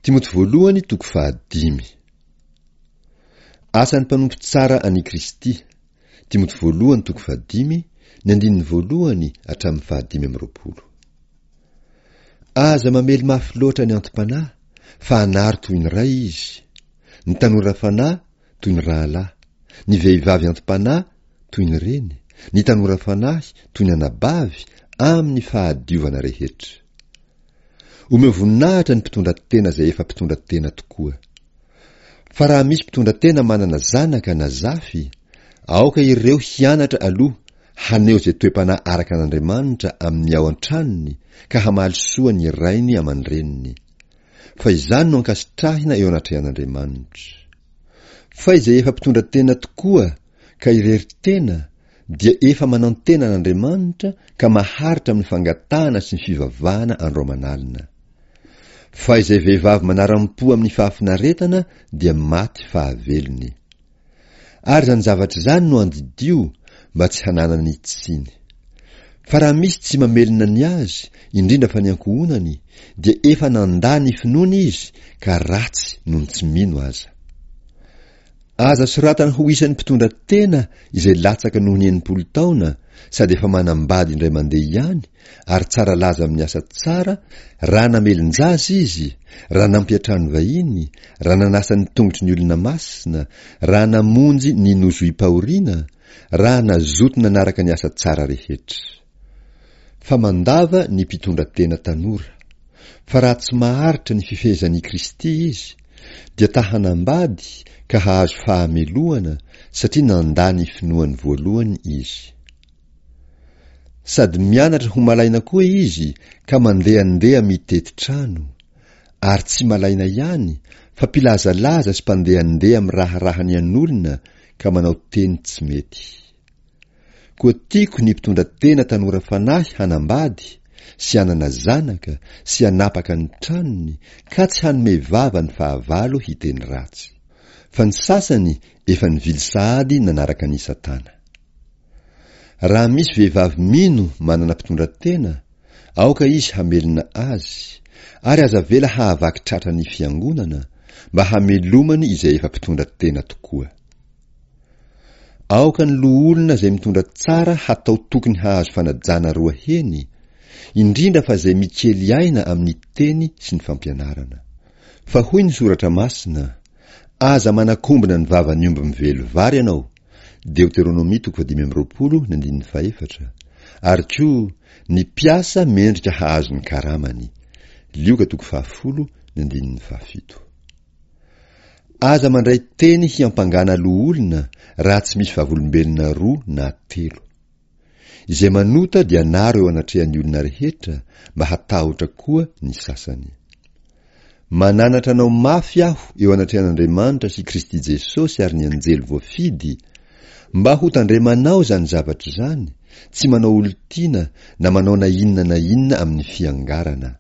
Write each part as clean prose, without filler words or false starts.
Timoty voalohany toko fahadimy. Asan'ny mpanompo tsara an'i Kristy, Timoty voalohany toko fahadimy, ny andininy voalohany hatramin'ny fahadimy amby 20. Aza mamely mafy loatra ny anti-panahy, fa anaro toy ny ray izy, ny tanora fanahy toy ny rahalahy, ny vehivavy anti-panahy toy ny reny, ny tanora fanahy toy ny anabavy amin'ny fahadiovana rehetra. Omeo voninahitra ny mpitondra tena izay efa mpitondra tena tokoa. Fa raha misy mpitondra tena manana zanaka na zafy, aoka ireo hianatra aloha haneho izay toe-panahy araka an'Andriamanitra amin'ny ao an-tranony ka hamaly soa ny rainy aman-dreniny. Fa izany no ankasitrahina eo anatrehan'Andriamanitra. Fa izay efa mpitondra tena tokoa ka irery tena dia efa manantena an'Andriamanitra ka maharitra amin'ny fangatahana sy ny fivavahana andro aman'alina. Fa izay vehivavy manaram-po amin'ny fahafinaretana dia maty fahavelony. Ary izany zavatra izany no andidio mba tsy hananany tsiny. Fa raha misy tsy mamelona ny azy, indrindra fa ny ankohonany, dia efa nandà ny finoany izy ka ratsy noho ny tsy mino aza. Aza soratana ho isan'ny mpitondra tena izay latsaka noho ny 60 taona sady efa manambady indray mandeha ihany ary tsara laza amin'ny asa tsara raha namelon-jaza izy, raha nampiantrano vahiny, raha nanasa ny tongotry ny olona masina, raha namonjy ny nozohim-pahoriana, raha nazoto nanaraka ny asa tsara rehetra. Fa mandava ny mpitondra tena tanora. Fa raha tsy maharitra ny fifehezan'i Kristy izy, dia ta hanambady ka hahazo fahamelohana satria nandà ny finoany voalohany izy. Sady mianatra ho malaina koa izy ka mandehandeha mitety trano, ary tsy malaina ihany fa mpilazalaza sy mpandehandeha miraharaha ny an'olona ka manao teny tsy mety. Koa tiako ny mpitondra tena tanora fanahy hanambady sy hanana zanaka sy hanapaka ny tranony ka tsy hanome vava ny fahavalo hiteny ratsy. Fa ny sasany efa nivily sahady nanaraka an'i Satana. Raha misy vehivavy mino manana mpitondra tena, aoka izy hamelona azy, ary aza avela hahavaky tratra ny fiangonana, mba hamelomany izay efa mpitondra tena tokoa. Aoka ny loholona izay mitondra tsara hatao tokony hahazo fanajana roa heny, indrindra fa izay mikely aina amin'ny teny sy ny fampianarana. Fa hoy ny Soratra Masina, Aza manakombona ny vavan'ny omby mively vary ianao, Deoteronomia toko fahadimy amby 20 ny andininy fahefatra, ary koa ny mpiasa mendrika hahazo ny karamany, Lioka toko fahafolo ny andininy fahafito. Aza mandray teny hiampangana loholona raha tsy misy vavolombelona roa na telo. Izay manota dia anaro eo anatrehan'ny olona rehetra mba hatahotra koa ny sasany. Mananatra anao mafy aho eo anatrehan'Andriamanitra sy Kristy Jesosy ary ny anjely voafidy, mba ho tandremanao izany zavatra izany, tsy manao olon-tiana na manao na inona na inona amin'ny fiangarana.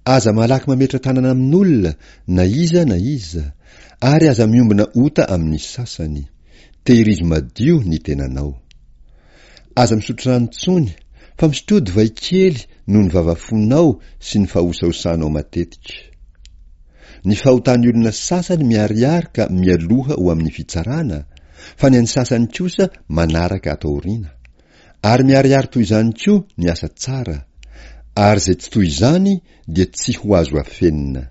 Aza malaky mametra-tanana amin'olona na iza na iza, ary aza miombona ota amin'ny sasany. Tehirizo madio ny tenanao. Aza misotro rano intsony, fa misotroa divay kely noho ny vavafonao sy ny fahosahosanao matetika. Ny fahotan'ny olona sasany miharihary ka mialoha ho amin'ny fitsarana, fa ny an'ny sasany kosa manaraka ato aoriana. Ary miharihary toy izany koa ny asa tsara, ary izay tsy toy izany dia tsy ho azo afenina.